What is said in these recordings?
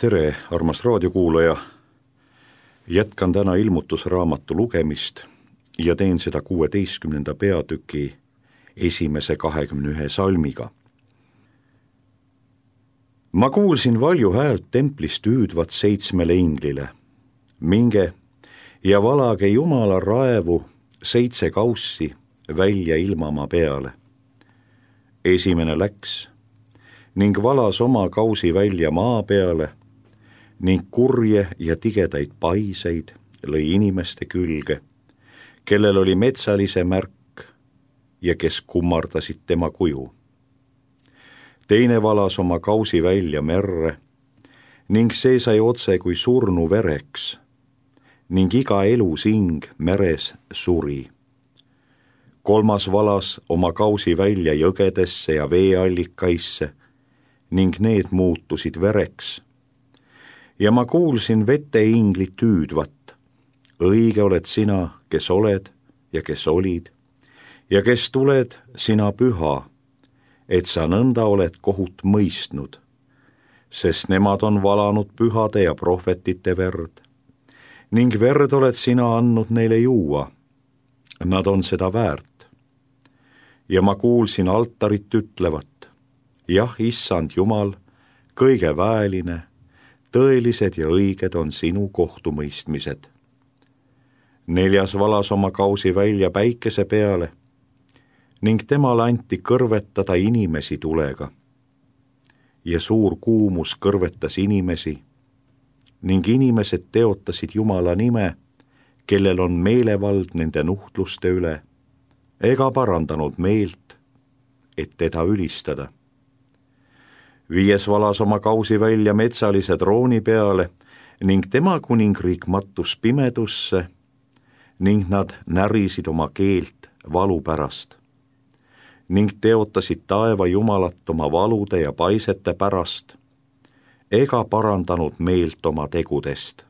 Tere, armas raadiokuulaja! Jätkan täna ilmutusraamatu lugemist ja teen seda 16. peatüki esimese 21 salmiga. Ma kuulsin valju häält templist hüüdvat 7 inglile. Minge ja valage Jumala raevu 7 kaussi välja ilmamaa peale. Esimene läks ning valas oma kausi välja maa peale ning kurje ja tigedaid paiseid lõi inimeste külge, kellel oli metsalise märk ja kes kummardasid tema kuju. Teine valas oma kausi välja merre ning see sai otse kui surnu vereks ning iga elusing meres suri. Kolmas valas oma kausi välja jõgedesse ja veeallikaisse ning need muutusid vereks. Ja ma kuulsin veteinglit hüüdvat. Õige oled sina, kes oled ja kes olid ja kes tuled, sina püha, et sa nõnda oled kohut mõistnud, sest nemad on valanud pühade ja prohvetite verd ning verd oled sina andnud neile juua. Nad on seda väärt. Ja ma kuulsin altarit ütlevat, jah, issand Jumal, kõige väeline, tõelised ja õiged on sinu kohtumõistmised. Neljas valas oma kausi välja päikese peale ning temale anti kõrvetada inimesi tulega. Ja suur kuumus kõrvetas inimesi ning inimesed teotasid Jumala nime, kellel on meelevald nende nuhtluste üle, ega parandanud meelt, et teda ülistada. Viies valas oma kausi välja metsalise trooni peale ning tema kuningriik mattus pimedusse ning nad närisid oma keelt valu pärast ning teotasid taeva Jumalat oma valude ja paisete pärast ega parandanud meelt oma tegudest.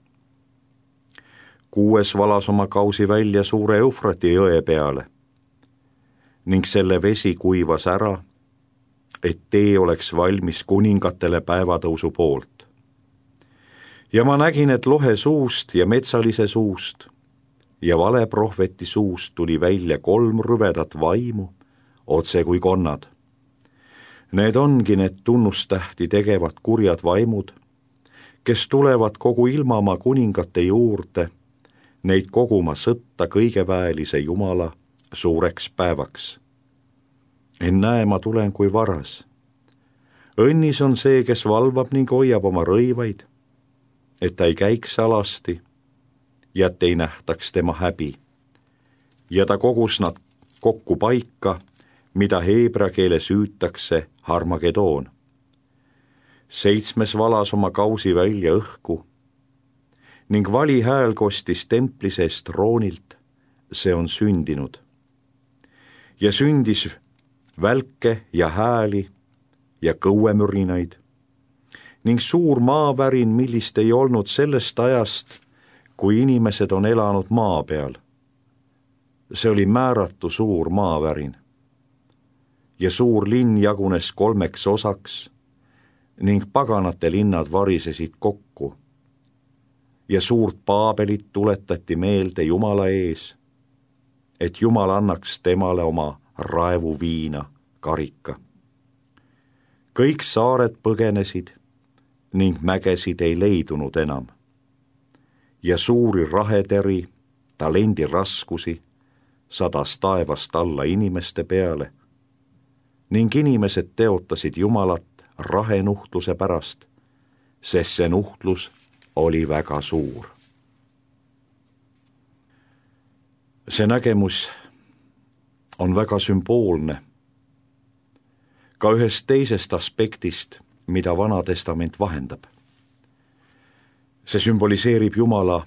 Kuues valas oma kausi välja suure Eufrati jõe peale ning selle vesi kuivas ära, et tee oleks valmis kuningatele päevatõusu poolt. Ja ma nägin, et lohe suust ja metsalise suust ja valeprohveti suust tuli välja 3 rüvedat vaimu, otse kui konnad. Need ongi need tunnustähti tegevad kurjad vaimud, kes tulevad kogu ilmamaa kuningate juurde, neid koguma sõtta kõigeväelise Jumala suureks päevaks. Ennäe, ma tulen kui varas. Õnnis on see, kes valvab ning hoiab oma rõivaid, et ta ei käiks alasti ja et ei nähtaks tema häbi. Ja ta kogus nad kokku paika, mida heebra keeles hüütakse Harmagedoon. 7 valas oma kausi välja õhku ning vali hääl kostis templi seest troonilt, see on sündinud. Ja sündis välke ja hääli ja kõuemürinaid ning suur maavärin, millist ei olnud sellest ajast, kui inimesed on elanud maa peal. See oli määratu suur maavärin. Ja suur linn jagunes 3 osaks ning paganate linnad varisesid kokku. Ja suurt Paabelit tuletati meelde Jumala ees, et Jumal annaks temale oma raevu viina karika. Kõik saared põgenesid ning mägesid ei leidunud enam. Ja suuri raheteri, talendi raskusi sadas taevast alla inimeste peale ning inimesed teotasid Jumalat rahenuhtluse pärast, sest see nuhtlus oli väga suur. See nägemus on väga sümboolne ka ühest teisest aspektist, mida Vana Testament vahendab. See sümboliseerib Jumala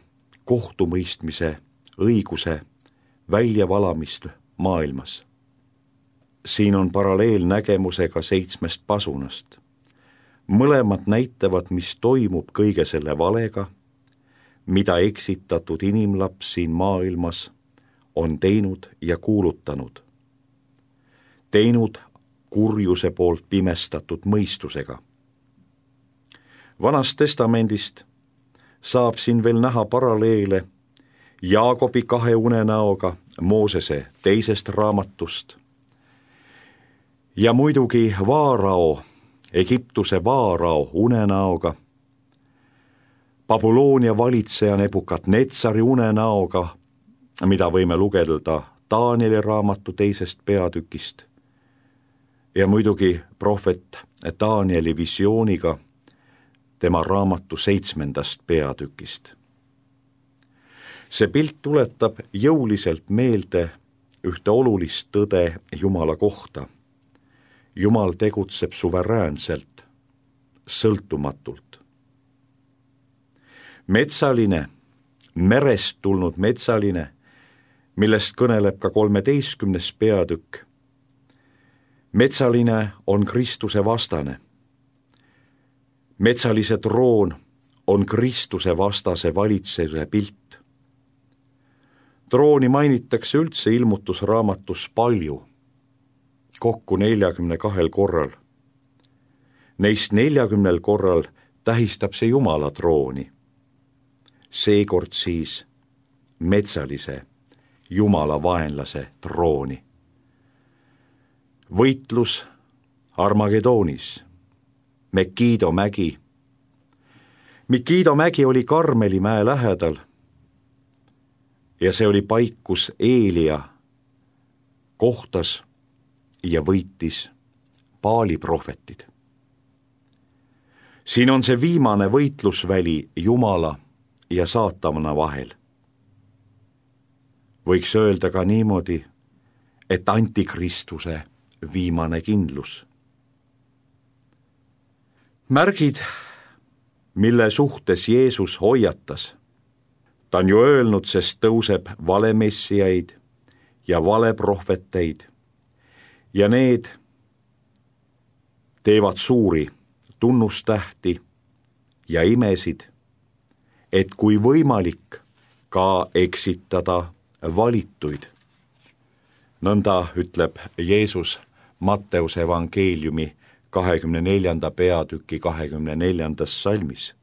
kohtumõistmise õiguse väljavalamist maailmas. Siin on paralleelnägemusega 7 pasunast. Mõlemad näitavad, mis toimub kõige selle valega, mida eksitatud inimlaps siin maailmas on teinud ja kuulutanud. Teinud kurjuse poolt pimestatud mõistusega. Vanast testamendist saab siin veel näha paralleele Jaakobi 2 unenäoga Moosese 2. raamatust ja muidugi Vaarao, Egiptuse Vaarao unenäoga, Babyloonia valitseja Nebukadnetsari unenäoga, mida võime lugeda Danieli raamatu 2. peatükist, ja muidugi prohvet Danieli visiooniga tema raamatu 7. peatükist. See pilt tuletab jõuliselt meelde ühte olulist tõde Jumala kohta. Jumal tegutseb suveräänselt, sõltumatult. Metsaline, merest tulnud metsaline, millest kõneleb ka 13. peatükk. Metsaline on Kristuse vastane. Metsalise troon on Kristuse vastase valitsuse pilt. Trooni mainitakse üldse ilmutusraamatus palju, kokku 42 korral. Neist 40 korral tähistab see Jumala trooni. Seekord siis metsalise, Jumala vaenlase trooni. Võitlus Armagedoonis, Mekido mägi. Mekido mägi oli Karmeli mäe lähedal ja see oli paik, kus Eelia kohtas ja võitis Baali prohvetid. Siin on see viimane võitlusväli Jumala ja saatana vahel. Võiks öelda ka niimoodi, et antikristuse viimane kindlus. Märgid, mille suhtes Jeesus hoiatas. Ta on ju öelnud, sest tõuseb valemessijaid ja valeprohveteid ja need teevad suuri tunnustähti ja imesid, et kui võimalik ka eksitada valituid. Nõnda ütleb Jeesus Matteuse evangeeliumi 24. peatüki 24. salmis.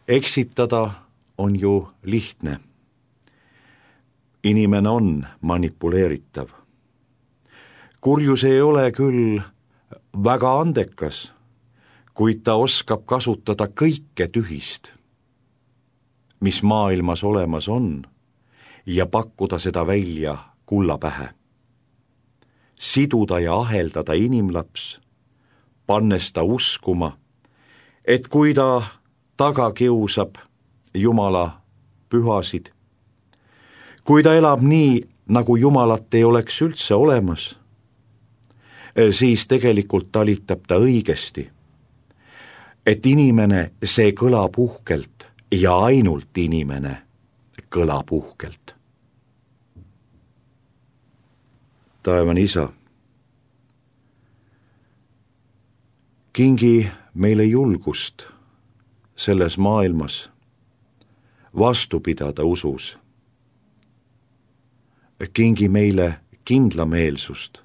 Eksitada on ju lihtne. Inimene on manipuleeritav. Kurjus ei ole küll väga andekas, kuid ta oskab kasutada kõike tühist, mis maailmas olemas on, ja pakkuda seda välja kulla pähe. Siduda ja aheldada inimlaps, pannes ta uskuma, et kui ta taga kiusab Jumala pühasid, kui ta elab nii, nagu Jumalat ei oleks üldse olemas, siis tegelikult talitab ta õigesti. Et inimene, see kõlab uhkelt ja ainult inimene kõlab uhkelt. Taevane Isa, kingi meile julgust selles maailmas vastu pidada usus. Kingi meile kindlameelsust,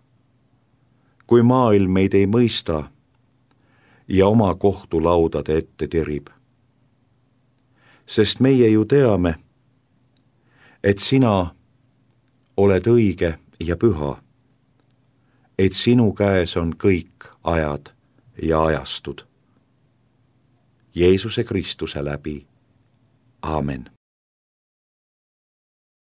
kui maailm meid ei mõista ja oma kohtulaudade ette tirib. Sest meie ju teame, et sina oled õige ja püha, et sinu käes on kõik ajad ja ajastud. Jeesuse Kristuse läbi. Aamen.